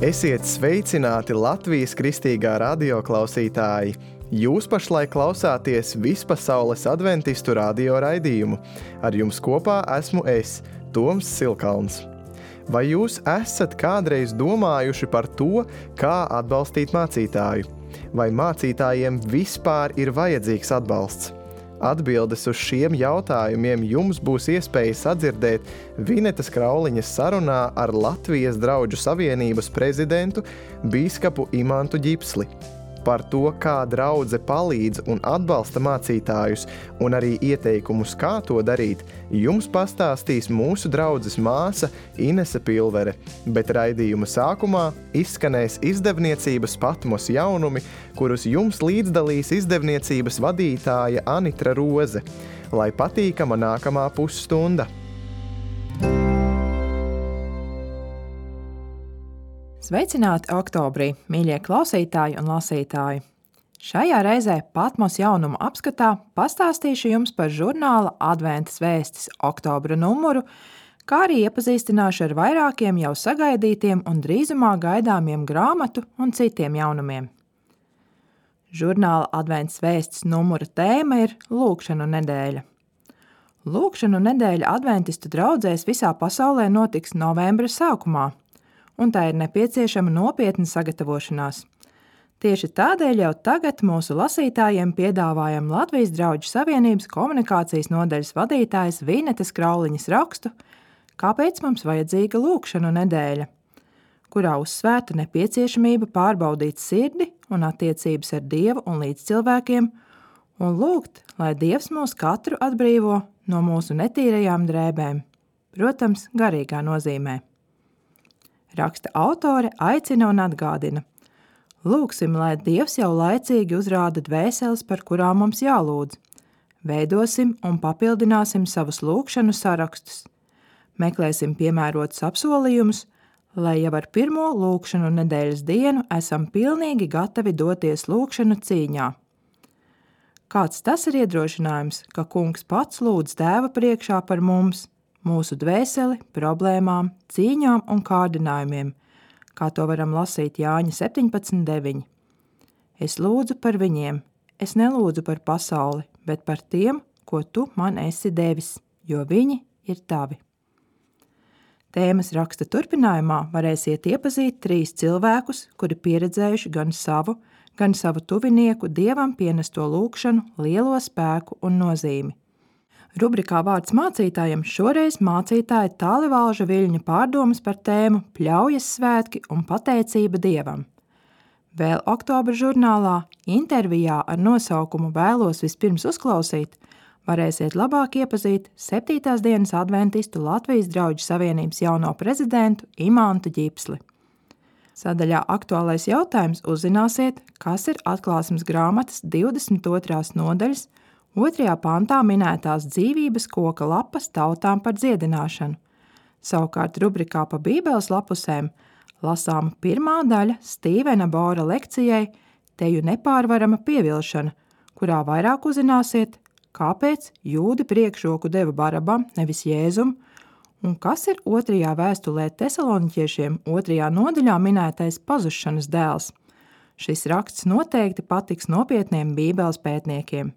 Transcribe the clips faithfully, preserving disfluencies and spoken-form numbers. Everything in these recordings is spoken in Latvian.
Esiet sveicināti Latvijas kristīgā radio klausītāji! Jūs pašlaik klausāties Vispasaules adventistu radio raidījumu. Ar jums kopā esmu es, Toms Silkalns. Vai jūs esat kādreiz domājuši par to, kā atbalstīt mācītāju? Vai mācītājiem vispār ir vajadzīgs atbalsts? Atbildes uz šiem jautājumiem jums būs iespēja sadzirdēt Vinetas Krauliņas sarunā ar Latvijas Draudžu savienības prezidentu bīskapu Imantu Ģipsli. Par to, kā draudze palīdz un atbalsta mācītājus, un arī ieteikumus, kā to darīt, jums pastāstīs mūsu draudzes māsa Inese Pilvere, bet raidījuma sākumā izskanēs izdevniecības Patmos jaunumi, kurus jums līdzdalīs izdevniecības vadītāja Anitra Roze. Lai patīkama nākamā pusstunda! Sveicināti oktobrī, mīļie klausītāji un lasītāji! Šajā reizē Patmos jaunumu apskatā pastāstīšu jums par žurnāla Adventas vēstis oktobra numuru, kā arī iepazīstināšu ar vairākiem jau sagaidītiem un drīzumā gaidāmiem grāmatu un citiem jaunumiem. Žurnāla Adventas vēstis numura tēma ir Lūgšanu nedēļa. Lūgšanu nedēļa adventistu draudzēs visā pasaulē notiks novembra sākumā, un tā ir nepieciešama nopietna sagatavošanās. Tieši tādēļ jau tagad mūsu lasītājiem piedāvājam Latvijas Draudžu savienības komunikācijas nodaļas vadītājas Vinetas Krauliņas rakstu Kāpēc mums vajadzīga lūgšanu nedēļa, kurā uzsvērta nepieciešamība pārbaudīt sirdi un attiecības ar Dievu un līdzcilvēkiem un lūgt, lai Dievs mūs katru atbrīvo no mūsu netīrajām drēbēm, protams, garīgā nozīmē. Raksta autore aicina un atgādina. Lūgsim, lai Dievs jau laicīgi uzrāda dvēseles, par kurām mums jālūdz. Veidosim un papildināsim savus lūgšanu sarakstus. Meklēsim piemērotus apsolījumus, lai jau ar pirmo lūgšanu nedēļas dienu esam pilnīgi gatavi doties lūgšanu cīņā. Kāds tas ir iedrošinājums, ka Kungs pats lūdz Tēva priekšā par mums, mūsu dvēseli, problēmām, cīņām un kārdinājumiem, kā to varam lasīt Jāņa septiņpadsmit deviņi. Es lūdzu par viņiem, es nelūdzu par pasauli, bet par tiem, ko tu man esi devis, jo viņi ir tavi. Tēmas raksta turpinājumā varēsiet iepazīt trīs cilvēkus, kuri pieredzējuši gan savu, gan savu tuvinieku Dievam pienesto lūgšanu, lielo spēku un nozīmi. Rubrikā Vārds mācītājiem šoreiz mācītāja Tālivalža Viļņa pārdomas par tēmu Pļaujas svētki un pateicība Dievam. Vēl oktobra žurnālā intervijā ar nosaukumu Vēlos vispirms uzklausīt, varēsiet labāk iepazīt septītās dienas adventistu Latvijas Draudžu savienības jauno prezidentu Imantu Ģipsli. Sadaļā Aktuālais jautājums uzzināsiet, kas ir atklāsmes grāmatas divdesmit otrās nodaļas otrajā pantā minētās dzīvības koka lapas tautām par dziedināšanu. Savukārt rubrikā pa Bībeles lapusēm lasāma pirmā daļa Stīvena Bora lekcijai Teju nepārvarama pievilšana, kurā vairāk uzzināsiet, kāpēc jūdi priekšroku deva Barabam, nevis Jēzum, un kas ir otrajā vēstulē Tesaloniķiešiem otrajā nodaļā minētais pazušanas dēls. Šis raksts noteikti patiks nopietniem Bībeles pētniekiem.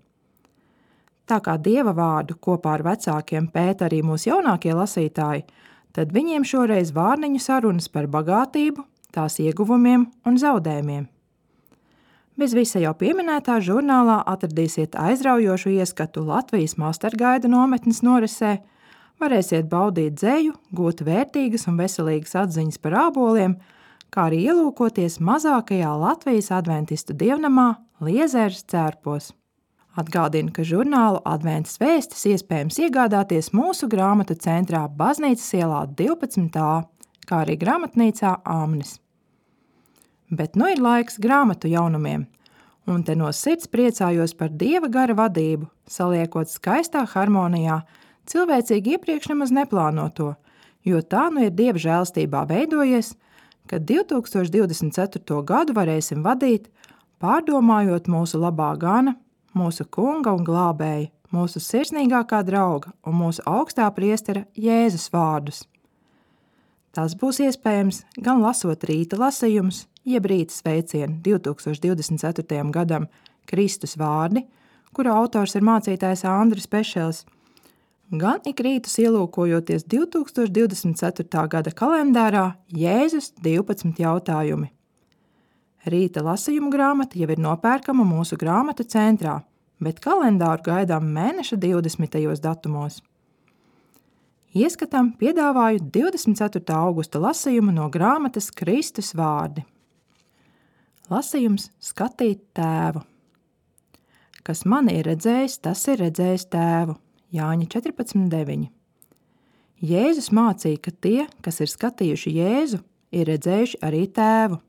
Tā kā Dieva vārdu kopā ar vecākiem pēta arī mūsu jaunākie lasītāji, tad viņiem šoreiz vārniņu sarunas par bagātību, tās ieguvumiem un zaudējumiem. Bez visa jau pieminētā žurnālā atradīsiet aizraujošu ieskatu Latvijas Mastergaida nometnes norisē, varēsiet baudīt dzeju, gūt vērtīgas un veselīgas atziņas par āboliem, kā arī ielūkoties mazākajā Latvijas adventistu dievnamā Liezēras cērpos. Atgādinu, ka žurnālu Adventas vēstis iespējams iegādāties mūsu grāmatu centrā Baznīcas ielā divpadsmit A, kā arī grāmatnīcā Āmnis. Bet nu ir laiks grāmatu jaunumiem, un te no sirds priecājos par Dieva gara vadību, saliekot skaistā harmonijā, cilvēcīgi iepriekš nemaz neplānoto, jo tā nu ir Dieva žēlstībā veidojies, ka divi tūkstoši divdesmit ceturto gadu varēsim vadīt, pārdomājot mūsu labā gana, mūsu kunga un glābēja, mūsu sirsnīgākā drauga un mūsu augstā priestera Jēzus vārdus. Tas būs iespējams gan lasot rīta lasījumus, jeb rīta sveicienu divi tūkstoši divdesmit ceturtajam gadam Kristus vārdi, kura autors ir mācītājs Andris Pešels, gan ik rītus ielūkojoties divi tūkstoši divdesmit ceturtā gada kalendārā Jēzus divpadsmit jautājumi. Rīta lasījumu grāmata jau ir nopērkama mūsu grāmatu centrā, bet kalendāru gaidām mēneša divdesmitajos datumos. Ieskatam piedāvāju divdesmit ceturtā augusta lasījumu no grāmatas Kristus vārdi. Lasījums skatīt tēvu. Kas mani ir redzējis, tas ir redzējis tēvu. Jāņa četrpadsmit deviņi. Jēzus mācīja, ka tie, kas ir skatījuši Jēzu, ir redzējuši arī tēvu.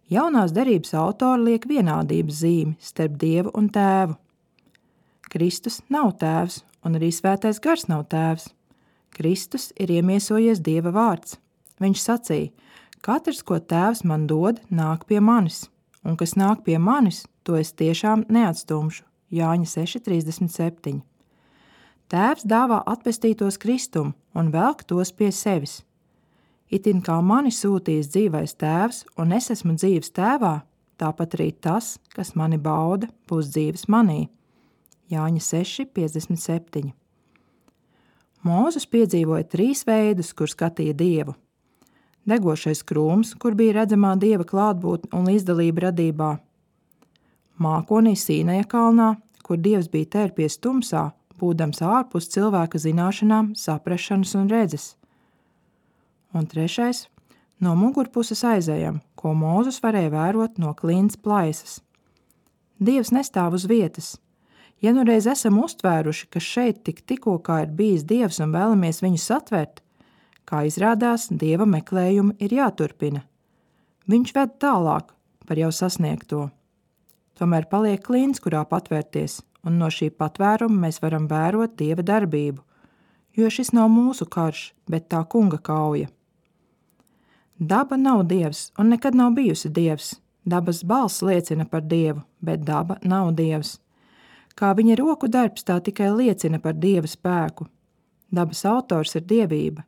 Jaunās derības autori liek vienādības zīmi starp Dievu un tēvu. Kristus nav tēvs, un arī svētais gars nav tēvs. Kristus ir iemiesojies Dieva vārds. Viņš sacīja, katrs, ko tēvs man dod, nāk pie manis, un kas nāk pie manis, to es tiešām neatstumšu. Jāņa seši trīsdesmit septiņi. Tēvs dāvā atpestītos Kristumu un velk tos pie sevis. Itin kā mani sūtījis dzīvais tēvs, un es esmu dzīves tēvā, tāpat arī tas, kas mani bauda, būs dzīves manī. Jāņa seši piecdesmit septiņi. Mūzes piedzīvoja trīs veidus, kur skatīja Dievu. Degošais krūms, kur bija redzamā Dieva klātbūtne un līdzdalība radībā. Mākonī Sīnaja kalnā, kur Dievs bija tērpies tumsā, būdams ārpus cilvēka zināšanām, saprašanas un redzes. Un trešais, no mugurpuses aizejam, ko Mūzes varēja vērot no klints plaisas. Dievs nestāv uz vietas. Ja nu reiz esam uztvēruši, ka šeit tik tikko kā ir bijis Dievs un vēlamies viņu satvert, kā izrādās, Dieva meklējumi ir jāturpina. Viņš ved tālāk par jau sasniegto. Tomēr paliek klints, kurā patvērties, un no šī patvēruma mēs varam vērot Dieva darbību, jo šis nav mūsu karš, bet tā kunga kauja. Daba nav Dievs un nekad nav bijusi Dievs. Dabas balss liecina par Dievu, bet daba nav Dievs. Kā viņa roku darbs tā tikai liecina par Dieva spēku. Dabas autors ir dievība.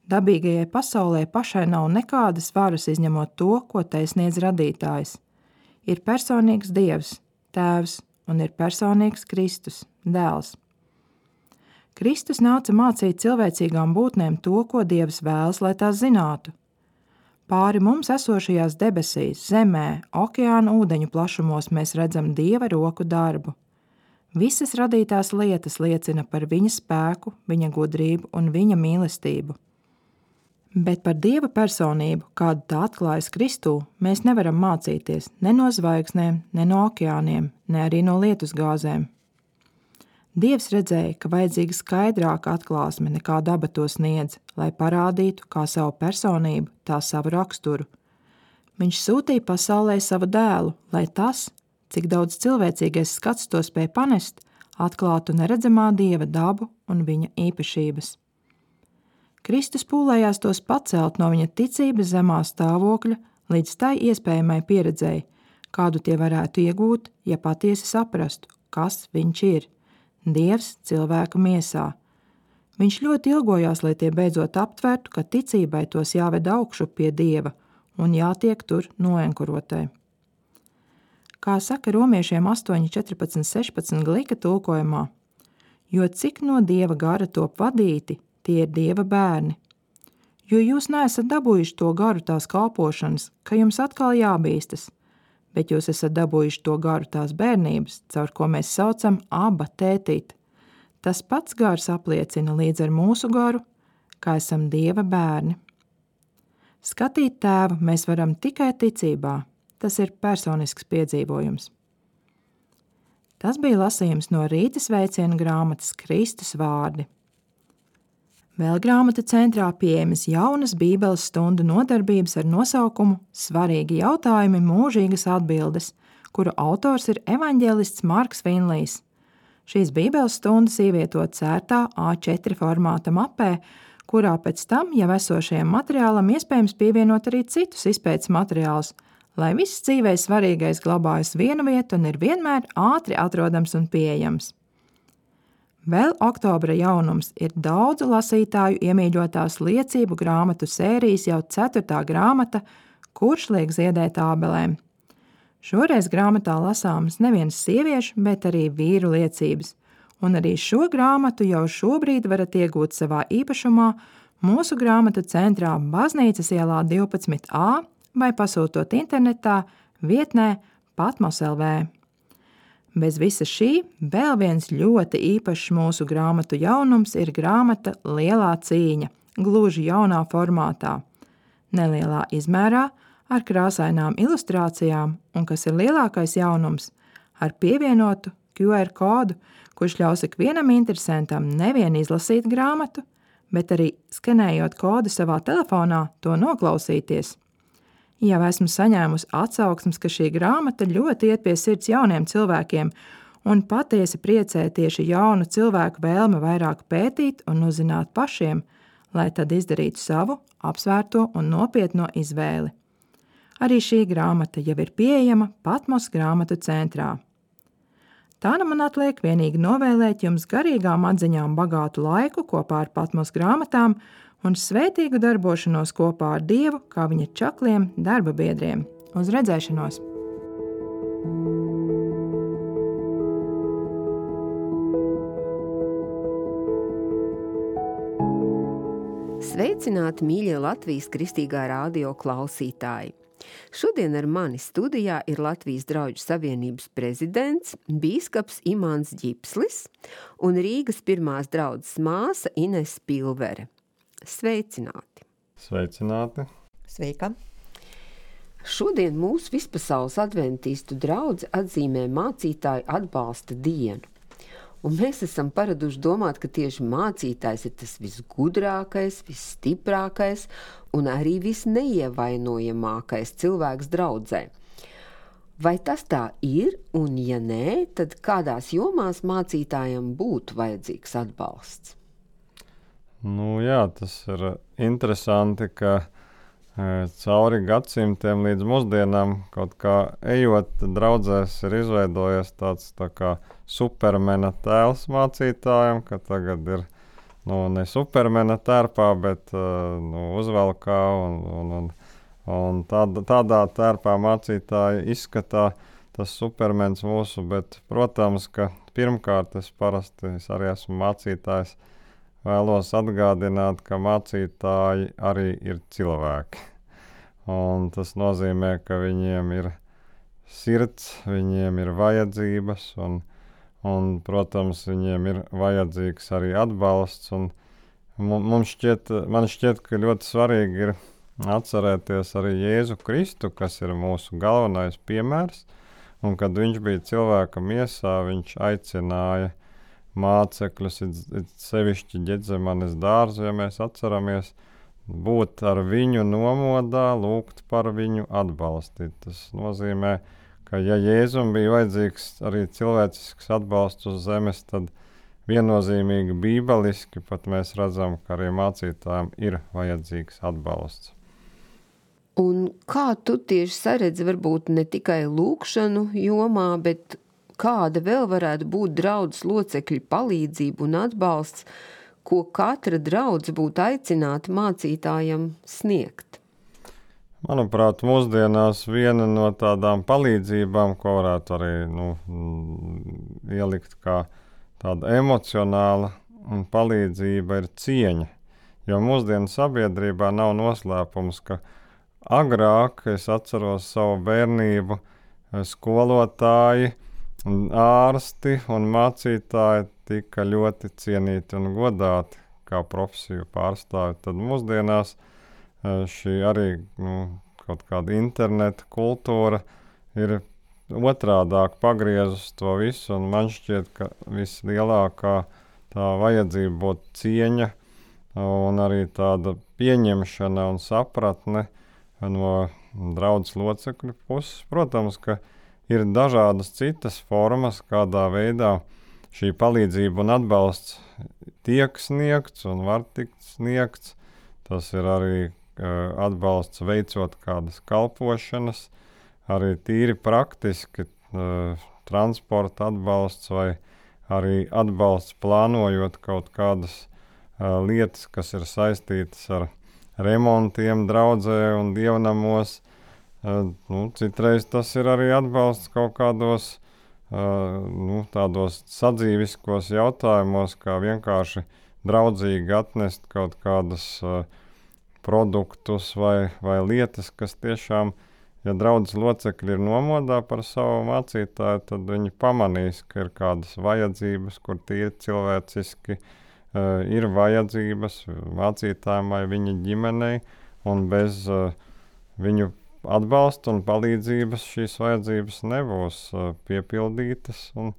Dabīgajai pasaulē pašai nav nekādas varas izņemot to, ko tai sniedz radītājs. Ir personīgs Dievs, tēvs, un ir personīgs Kristus, dēls. Kristus nāca mācīt cilvēcīgām būtnēm to, ko Dievs vēlas, lai tās zinātu. Pāri mums esošajās debesīs, zemē, okeāna ūdeņu plašumos mēs redzam Dieva roku darbu. Visas radītās lietas liecina par viņa spēku, viņa gudrību un viņa mīlestību. Bet par Dieva personību, kādu tā atklājas Kristū, mēs nevaram mācīties ne no zvaigznēm, ne no okeāniem, ne arī no lietusgāzēm. Dievs redzēja, ka vajadzīga skaidrāka atklāsme nekā daba to sniedz, lai parādītu kā savu personību, tā savu raksturu. Viņš sūtīja pasaulē savu dēlu, lai tas, cik daudz cilvēcīgais skats to spēj panest, atklātu neredzamā Dieva dabu un viņa īpašības. Kristus pūlējās tos pacelt no viņa ticības zemā stāvokļa līdz tai iespējamai pieredzēji, kādu tie varētu iegūt, ja patiesi saprastu, kas viņš ir. Dievs cilvēka miesā. Viņš ļoti ilgojās, lai tie beidzot aptvertu, ka ticībai tos jāved augšu pie Dieva un jātiek tur noenkurotai. Kā saka romiešiem astoņi, četrpadsmit, sešpadsmit glika tulkojumā, jo cik no Dieva gara top vadīti, tie ir Dieva bērni. Jo jūs neesat dabūjuši to garu tās kalpošanas, ka jums atkal jābīstas, bet jūs esat dabūjuši to garu tās bērnības, caur ko mēs saucam aba tētīt. Tas pats gars apliecina līdz ar mūsu garu, ka esam Dieva bērni. Skatīt tēvu mēs varam tikai ticībā. Tas ir personisks piedzīvojums. Tas bija lasījums no rīta sveiciena grāmatas Kristus vārdi. Vēl grāmatu centrā pieejamas jaunas bībeles stundu nodarbības ar nosaukumu Svarīgi jautājumi, mūžīgas atbildes, kuru autors ir evaņģēlists Marks Vinlijs. Šīs bībeles stundas ievietot cērtā A četri formāta mapē, kurā pēc tam jau esošajam materiālam iespējams pievienot arī citus izpētes materiālus, lai viss dzīvē svarīgais glabājas vienu vietu un ir vienmēr ātri atrodams un pieejams. Vēl oktobra jaunums ir daudzu lasītāju iemīļotās liecību grāmatu sērijas jau ceturtā grāmata Kurš liek ziedēt ābelēm. Šoreiz grāmatā lasāmas nevienas sieviešu, bet arī vīru liecības, un arī šo grāmatu jau šobrīd varat iegūt savā īpašumā mūsu grāmatu centrā Baznīcas ielā divpadsmit A vai pasūtot internetā vietnē Patmos L V. Bez visa šī vēl viens ļoti īpašs mūsu grāmatu jaunums ir grāmata Lielā cīņa, gluži jaunā formātā. Nelielā izmērā, ar krāsainām ilustrācijām un, kas ir lielākais jaunums, ar pievienotu Q R kodu, kurš ļaus ikvienam interesantam nevien izlasīt grāmatu, bet arī skenējot kodu savā telefonā to noklausīties. Jau esmu saņēmusi atsauksmes, ka šī grāmata ļoti iet pie sirds jauniem cilvēkiem un patiesi priecē tieši jaunu cilvēku vēlme vairāk pētīt un uzzināt pašiem, lai tad izdarītu savu apsvērto un nopietno izvēli. Arī šī grāmata jau ir pieejama Patmos grāmatu centrā. Tā nu man atliek vienīgi novēlēt jums garīgām atziņām bagātu laiku kopā ar Patmos grāmatām un svētīgu darbošanos kopā ar Dievu, kā viņa čakliem darba biedriem. Uz redzēšanos! Sveicināti, mīļie Latvijas Kristīgā radio klausītāji! Šodien ar mani studijā ir Latvijas Drauģu savienības prezidents, bīskaps Imants Ģipslis un Rīgas pirmās draudzes māsa Ines Pilvere. Sveicināti! Sveicināti! Sveika! Šodien mūsu vispasaules adventistu draudze atzīmē mācītāju atbalsta dienu. Un mēs esam paraduši domāt, ka tieši mācītājs ir tas visgudrākais, visstiprākais un arī visneievainojamākais cilvēks draudzē. Vai tas tā ir, un ja nē, tad kādās jomās mācītājam būtu vajadzīgs atbalsts? Nu jā, tas ir interesanti, ka e, cauri gadsimtiem līdz mūsdienām kaut kā ejot draudzēs ir izveidojies tāds tā kā supermena tēls mācītājiem, ka tagad ir nu, ne supermena tērpā, bet uh, nu, uzvelkā un, un, un, un tād, tādā tērpā mācītāji izskatā tas supermens mūsu, bet, protams, ka pirmkārt es parasti es arī esmu mācītājs, vēlos atgādināt, ka mācītāji arī ir cilvēki. Un tas nozīmē, ka viņiem ir sirds, viņiem ir vajadzības un Un, protams, viņiem ir vajadzīgs arī atbalsts. Un mums šķiet, man šķiet, ka ļoti svarīgi ir atcerēties arī Jēzu Kristu, kas ir mūsu galvenais piemērs. Un, kad viņš bija cilvēka miesā, viņš aicināja mācekļus, it, it sevišķi Ģedzemanes dārzu, ja mēs atceramies, būt ar viņu nomodā, lūgt par viņu atbalstīt. Tas nozīmē, ka ja Jēzum bija vajadzīgs arī cilvēcisks atbalsts uz zemes, tad viennozīmīgi bībeliski pat mēs redzam, ka arī mācītājiem ir vajadzīgs atbalsts. Un kā tu tieši saredzi varbūt ne tikai lūkšanu jomā, bet kāda vēl varētu būt draudzes locekļu palīdzība un atbalsts, ko katra draudze būtu aicināta mācītājam sniegt? Manuprāt, mūsdienās viena no tādām palīdzībām, ko varētu arī nu, ielikt kā tāda emocionāla palīdzība, ir cieņa. Jo mūsdienu sabiedrībā nav noslēpums, ka agrāk, es atceros savu bērnību, skolotāji, ārsti un mācītāji tika ļoti cienīti un godāti kā profesiju pārstāvi. Tad mūsdienās šī arī nu, kaut kāda interneta kultūra ir otrādāk pagriezus to visu, un man šķiet, ka vislielākā tā vajadzība būtu cieņa un arī tāda pieņemšana un sapratne no draudzes locekļu puses. Protams, ka ir dažādas citas formas, kādā veidā šī palīdzība un atbalsts tiek sniegts un var tikt sniegts. Tas ir arī atbalsts veicot kādas kalpošanas, arī tīri praktiski uh, transporta atbalsts vai arī atbalsts plānojot kaut kādas uh, lietas, kas ir saistītas ar remontiem draudzē un dievnamos. Uh, nu, citreiz tas ir arī atbalsts kaut kādos uh, nu, tādos sadzīviskos jautājumos, kā vienkārši draudzīgi atnest kaut kādas uh, produktus vai, vai lietas, kas tiešām, ja draudzes locekļi ir nomodā par savu mācītāju, tad viņi pamanīs, ka ir kādas vajadzības, kur tīri cilvēciski uh, ir vajadzības mācītājiem vai viņa ģimenei, un bez uh, viņu atbalsta un palīdzības šīs vajadzības nebūs uh, piepildītas. Un,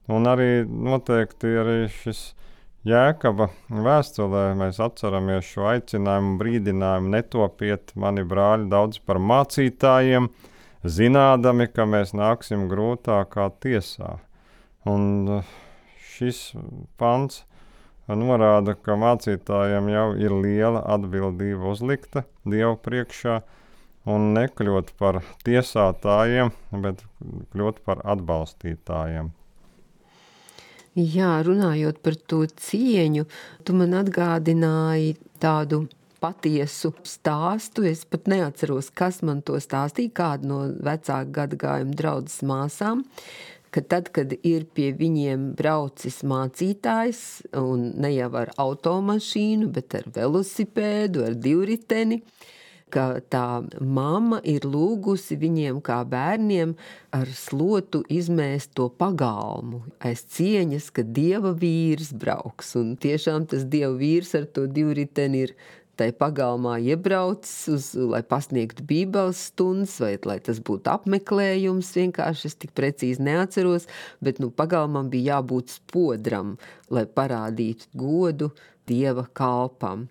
un arī noteikti arī šis Jēkaba vēstulē mēs atceramies šo aicinājumu, brīdinājumu: netopiet, mani brāļi, daudz par mācītājiem, zinādami, ka mēs nāksim grūtākā tiesā. Un šis pants norāda, ka mācītājiem jau ir liela atbildība uzlikta Dievu priekšā, un nekļūt par tiesātājiem, bet kļūt par atbalstītājiem. Jā, runājot par to cieņu, tu man atgādināji tādu patiesu stāstu. Es pat neatceros, kas man to stāstīja, kāda no vecāku gadagājuma draudzes māsām, ka tad, kad ir pie viņiem braucis mācītājs, un ne jau ar automašīnu, bet ar velosipēdu, ar divriteni, ka tā mamma ir lūgusi viņiem kā bērniem ar slotu izmēst to pagalmu aiz cieņas, ka Dieva vīrs brauks. Un tiešām tas Dieva vīrs ar to divriteni ir tai pagalmā iebraucis, uz, lai pasniegtu bībeles stundas, vai lai tas būtu apmeklējums, vienkārši es tik precīzi neatceros, bet nu, pagalmam bija jābūt spodram, lai parādītu godu Dieva kalpam.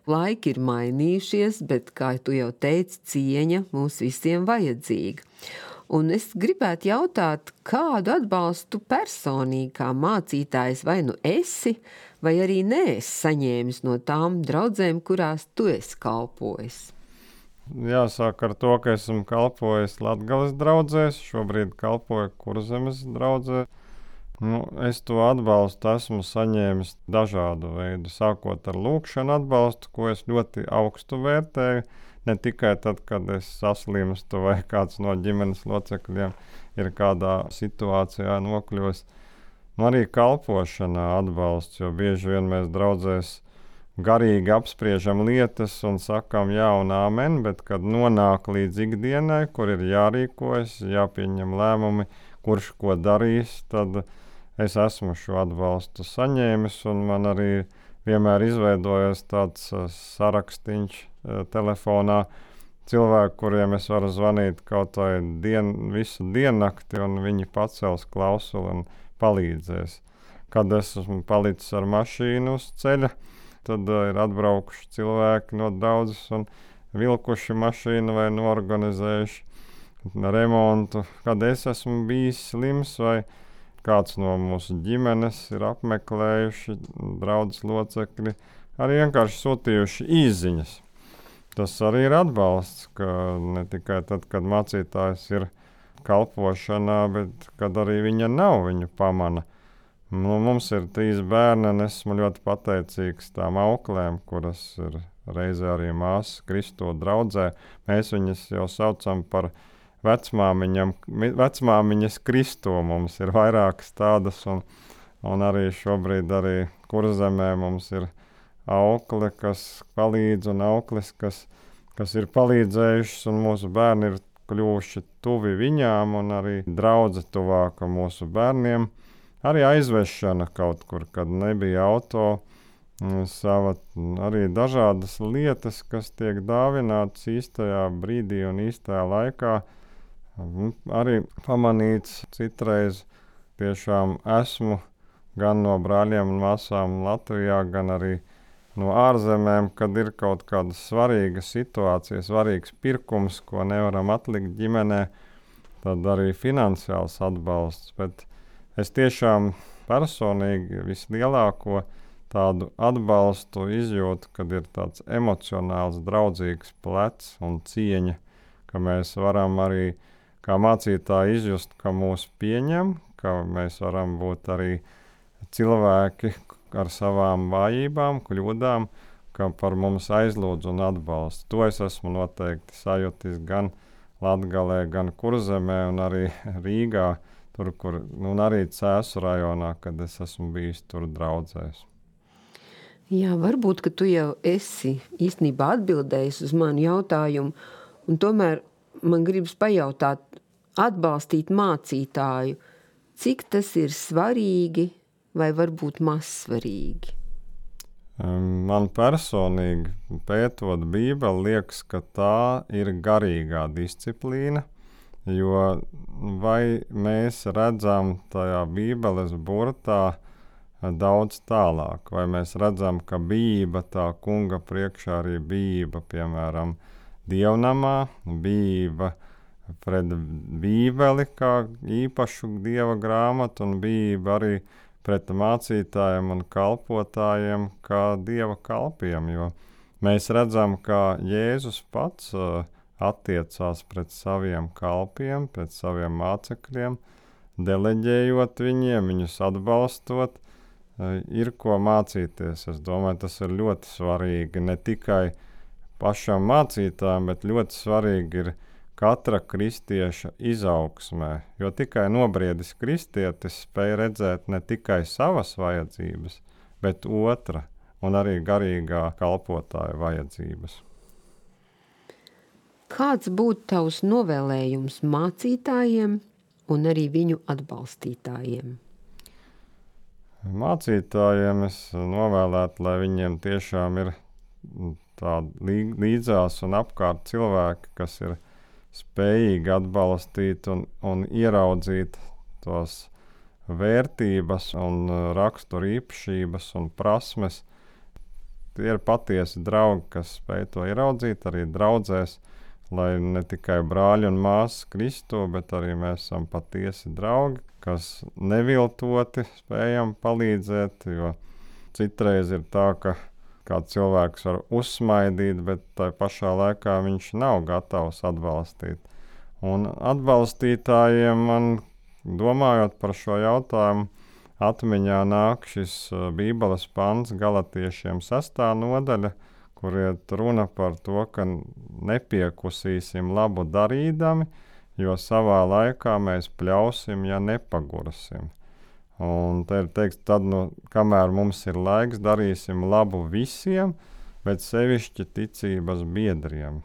Laiki ir mainījušies, bet, kā tu jau teici, cieņa mums visiem vajadzīga. Un es gribētu jautāt, kādu atbalstu personīgi kā mācītājs vai nu esi, vai arī neesi saņēmis no tām draudzēm, kurās tu esi kalpojis? Jāsāk ar to, ka esmu kalpojis Latgales draudzēs, šobrīd kalpoju Kurzemes draudzē. Nu, es to atbalstu esmu saņēmis dažādu veidu, sākot ar lūkšanu atbalstu, ko es ļoti augstu vērtēju, ne tikai tad, kad es saslimstu vai kāds no ģimenes locekļiem ir kādā situācijā nokļūs. Nu, arī kalpošanā atbalsts, jo bieži vien mēs draudzēs garīgi apspriežam lietas un sakam jā un āmen, bet kad nonāk līdz ikdienai, kur ir jārīkojas, jāpieņem lēmumi, kurš ko darīs, tad es esmu šo atbalstu saņēmis, un man arī vienmēr izveidojas tāds uh, sarakstīņš uh, telefonā cilvēku, kuriem es varu zvanīt kaut vai dien, visu diennakti, un viņi pacels klausuli un palīdzēs. Kad es esmu palicis ar mašīnu uz ceļa, tad uh, ir atbraukuši cilvēki no draudzes un vilkuši mašīnu vai norganizējuši remontu. Kad es esmu bijis slims vai kāds no mūsu ģimenes ir apmeklējuši draudzes locekļi, arī vienkārši sūtījuši īziņas. Tas arī ir atbalsts, ka ne tikai tad, kad mācītājs ir kalpošanā, bet kad arī viņa nav, viņu pamana. Nu, mums ir trīs bērni, un esmu ļoti pateicīgs tām auklēm, kuras ir reizē arī māsas Kristo draudzē. Mēs viņas jau saucam par Vecmāmiņam, vecmāmiņas Kristo. Mums ir vairākas tādas, un, un arī šobrīd arī Kurzemē mums ir aukle, kas palīdz, un auklis, kas, kas ir palīdzējušas, un mūsu bērni ir kļuvuši tuvi viņām, un arī draudze tuvāka mūsu bērniem. Arī aizvešana kaut kur, kad nebija auto, sava, arī dažādas lietas, kas tiek dāvinātas īstajā brīdī un īstajā laikā. Arī pamanīts citreiz tiešām esmu gan no brāļiem un māsām Latvijā, gan arī no ārzemēm, kad ir kaut kāda svarīga situācija, svarīgs pirkums, ko nevaram atlikt ģimenē, tad arī finansiāls atbalsts. Bet es tiešām personīgi vislielāko tādu atbalstu izjūtu, kad ir tāds emocionāls, draudzīgs plecs un cieņa, ka mēs varam arī kā mācītāji izjust, ka mūs pieņem, ka mēs varam būt arī cilvēki ar savām vājībām, kļūdām, ka par mums aizlūdz un atbalsta. To es esmu noteikti sajutis gan Latgalē, gan Kurzemē un arī Rīgā, tur, kur, un arī Cēsu rajonā, kad es esmu bijis tur draudzēs. Jā, varbūt, ka tu jau esi īstenībā atbildējis uz manu jautājumu, un tomēr man gribas pajautāt, atbalstīt mācītāju, cik tas ir svarīgi vai varbūt maz svarīgi? Man personīgi, pētot Bībeli, liekas, ka tā ir garīgā disciplīna, jo vai mēs redzam tajā Bībeles burtā daudz tālāk, vai mēs redzam, ka bijība tā kunga priekšā arī bijība, piemēram, dievnamā, bijība pret Bībeli kā īpašu dieva grāmatu un bijība arī pret mācītājiem un kalpotājiem kā dieva kalpiem, jo mēs redzam, ka Jēzus pats uh, attiecās pret saviem kalpiem, pret saviem mācekļiem, deleģējot viņiem, viņus atbalstot, uh, ir ko mācīties. Es domāju, tas ir ļoti svarīgi ne tikai pašam mācītājam, bet ļoti svarīgi ir katra kristieša izaugsmē, jo tikai nobriedis kristietis spēj redzēt ne tikai savas vajadzības, bet otra un arī garīgā kalpotāja vajadzības. Kāds būtu tavs novēlējums mācītājiem un arī viņu atbalstītājiem? Mācītājiem es novēlētu, lai viņiem tiešām ir tādi līdzās un apkārt cilvēki, kas ir spējīgi atbalstīt un, un ieraudzīt tos vērtības un raksturu īpašības un prasmes. Tie ir patiesi draugi, kas spēj to ieraudzīt arī draudzēs, lai ne tikai brāļi un māsas Kristu, bet arī mēs esam patiesi draugi, kas neviltoti spējam palīdzēt, jo citreiz ir tā, ka kāds cilvēks var uzsmaidīt, bet tai pašā laikā viņš nav gatavs atbalstīt. Un atbalstītājiem man, domājot par šo jautājumu, atmiņā nāk šis Bībeles pants Galatiešiem sestā nodaļa, kur iet runa par to, ka nepiekusīsim labu darīdami, jo savā laikā mēs pļausim, ja nepagursim. Un te ir teikts, tad, nu, kamēr mums ir laiks, darīsim labu visiem, bet sevišķi ticības biedriem.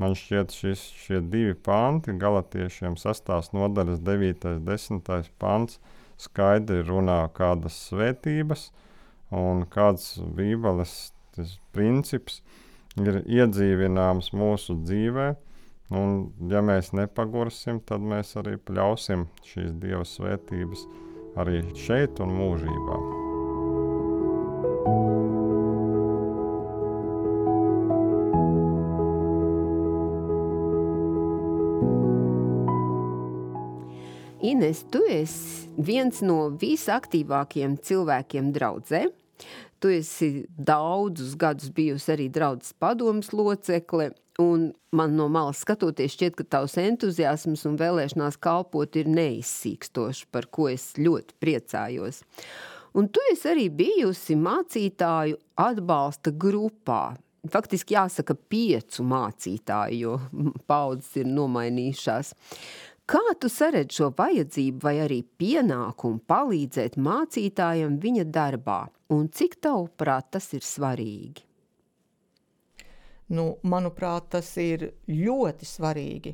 Man šķiet, šis, šie divi panti, Galatiešiem sestās nodaļas devītais, desmitais pants, skaidri runā kādas svētības un kāds Bībeles princips ir iedzīvināms mūsu dzīvē. Un, ja mēs nepagursim, tad mēs arī pļausim šīs Dieva svētības arī šeit un mūžībā. Ines, tu esi viens no visaktīvākajiem cilvēkiem draudzē. Tu esi daudzus gadus bijusi arī draudzes padomes locekle, un man no malas skatoties šķiet, ka tavs entuziasms un vēlēšanās kalpot ir neizsīkstoši, par ko es ļoti priecājos. Un tu esi arī bijusi mācītāju atbalsta grupā. Faktiski jāsaka piecu mācītāju, jo paudzes ir nomainījušās. Kā tu saredz šo vajadzību vai arī pienākumu palīdzēt mācītājam viņa darbā? Un cik tavuprāt tas ir svarīgi? Nu, manuprāt, tas ir ļoti svarīgi,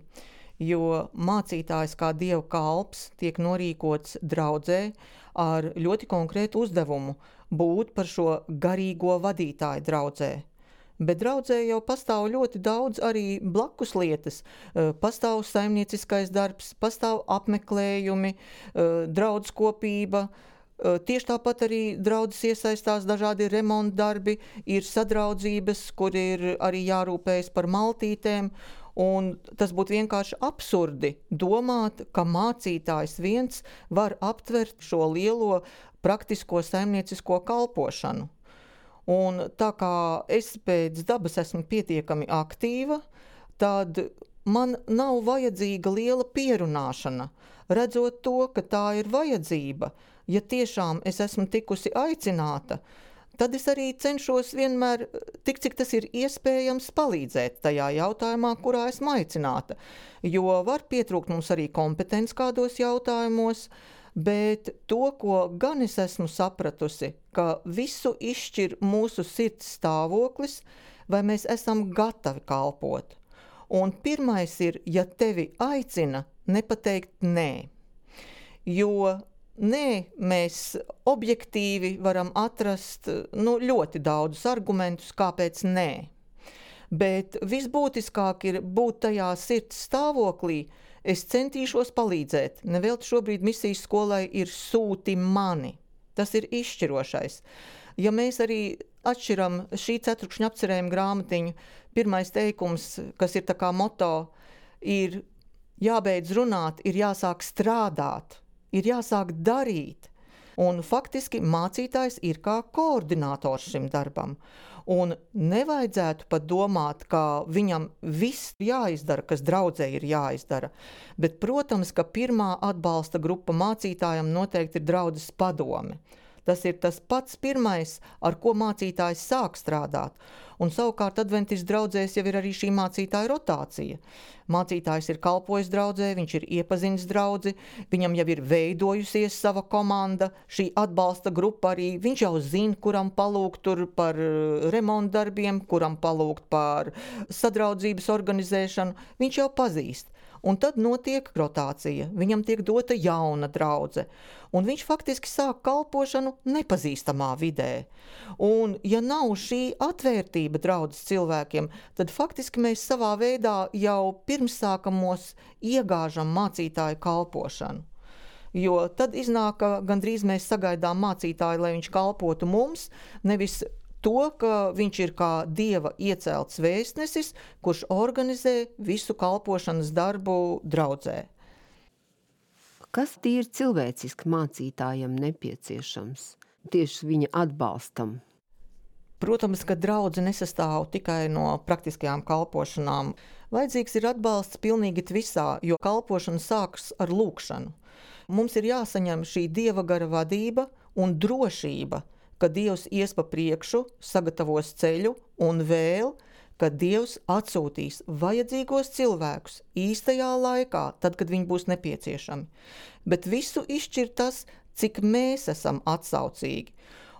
jo mācītājs kā dieva kalps tiek norīkots draudzē ar ļoti konkrētu uzdevumu būt par šo garīgo vadītāju draudzē. Bet draudzē jau pastāv ļoti daudz arī blakus lietas. Pastāv saimnieciskais darbs, pastāv apmeklējumi, draudz kopība. Tieši tāpat arī draudzes iesaistās dažādi remontdarbi, ir sadraudzības, kur ir arī jārūpējas par maltītēm. Un tas būtu vienkārši absurdi domāt, ka mācītājs viens var aptvert šo lielo praktisko saimniecisko kalpošanu. Un tā kā es pēc dabas esmu pietiekami aktīva, tad man nav vajadzīga liela pierunāšana, redzot to, ka tā ir vajadzība. Ja tiešām es esmu tikusi aicināta, tad es arī cenšos vienmēr, tik cik tas ir iespējams, palīdzēt tajā jautājumā, kurā esmu aicināta. Jo var pietrūkt mums arī kompetence kādos jautājumos, bet to, ko gan es esmu sapratusi, ka visu izšķir mūsu sirds stāvoklis, vai mēs esam gatavi kalpot. Un pirmais ir, ja tevi aicina, nepateikt nē. Jo nē, mēs objektīvi varam atrast nu, ļoti daudzus argumentus, kāpēc nē. Bet visbūtiskāk ir būt tajā sirds stāvoklī, es centīšos palīdzēt. Nevelti šobrīd misijas skolai ir sūti mani. Tas ir izšķirošais. Ja mēs arī atšķiram šī ceturkšņa apcerējuma grāmatiņu, pirmais teikums, kas ir tā kā moto, ir jābeidz runāt, ir jāsāk strādāt, ir jāsāk darīt. Un faktiski mācītājs ir kā koordinators šim darbam. Un nevajadzētu pat domāt, ka viņam viss jāizdara, kas draudzē ir jāizdara. Bet, protams, ka pirmā atbalsta grupa mācītājam noteikti ir draudzes padome. Tas ir tas pats pirmais, ar ko mācītājs sāk strādāt. Un savukārt adventistu draudzēs jau ir arī šī mācītāja rotācija. Mācītājs ir kalpojis draudzē, viņš ir iepazinis draudzi, viņam jau ir veidojusies sava komanda, šī atbalsta grupa arī, viņš jau zina, kuram palūgt tur par remontdarbiem, kuram palūgt par sadraudzības organizēšanu, viņš jau pazīst. Un tad notiek rotācija, viņam tiek dota jauna draudze, un viņš faktiski sāk kalpošanu nepazīstamā vidē. Un ja nav šī atvērtība draudzes cilvēkiem, tad faktiski mēs savā veidā jau pirmsākamos iegāžam mācītāju kalpošanu. Jo tad iznāk, ka gandrīz mēs sagaidām mācītāju, lai viņš kalpotu mums, nevis to, ka viņš ir kā Dieva iecelts vēstnesis, kurš organizē visu kalpošanas darbu draudzē. Kas tīri cilvēciski mācītājam nepieciešams, tieši viņa atbalstam? Protams, ka draudze nesastāv tikai no praktiskajām kalpošanām. Vajadzīgs ir atbalsts pilnīgi visā, jo kalpošana sākas ar lūkšanu. Mums ir jāsaņem šī Dieva gara vadība un drošība, ka Dievs ies pa priekšu, sagatavos ceļu un vēl, ka Dievs atsūtīs vajadzīgos cilvēkus īstajā laikā, tad, kad viņi būs nepieciešami. Bet visu izšķir tas, cik mēs esam atsaucīgi.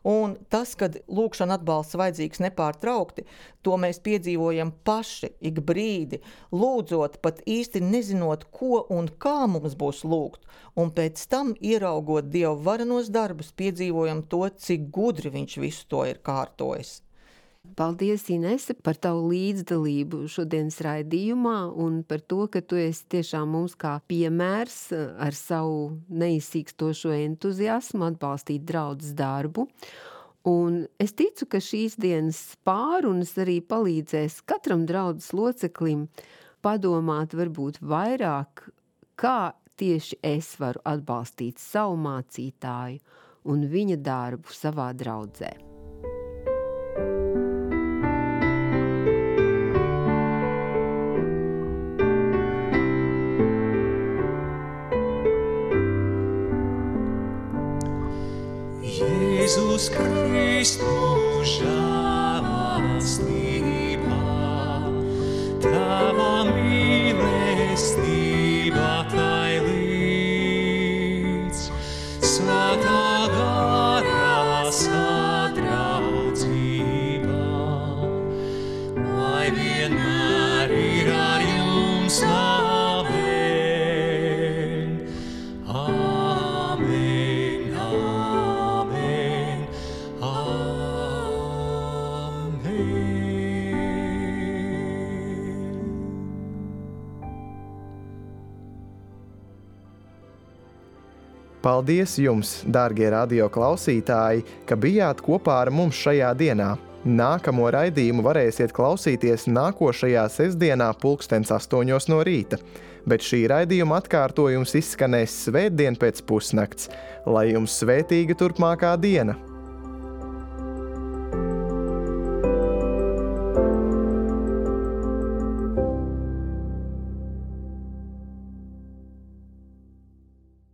Un tas, kad lūkšana atbalsts vajadzīgs nepārtraukti, to mēs piedzīvojam paši, ik brīdi, lūdzot, pat īsti nezinot, ko un kā mums būs lūgt. Un pēc tam, ieraugot Dieva varenos darbus, piedzīvojam to, cik gudri viņš visu to ir kārtojis. Paldies, Inese, par tavu līdzdalību šodienas raidījumā un par to, ka tu esi tiešām mums kā piemērs ar savu neizsīkstošo entuziasmu atbalstīt draudzes darbu. Un es ticu, ka šīs dienas pārunas arī palīdzēs katram draudzes loceklim padomāt varbūt vairāk, kā tieši es varu atbalstīt savu mācītāju un viņa darbu savā draudzē. Jēzus Kristus žēlastībā, Tava mīlestība tai līdz, Svētā gara sadraudzība, lai vienmēr ir ar jums. Amen. Amen. Amen. Paldies jums, dārgie radio klausītāji, ka bijāt kopā ar mums šajā dienā. Nākamo raidījumu varēsiet klausīties nākošajā sestdienā pulkstens astoņos no rīta, bet šī raidījuma atkārtojums izskanēs svētdien pēc pusnakts. Lai jums svētīga turpmākā diena!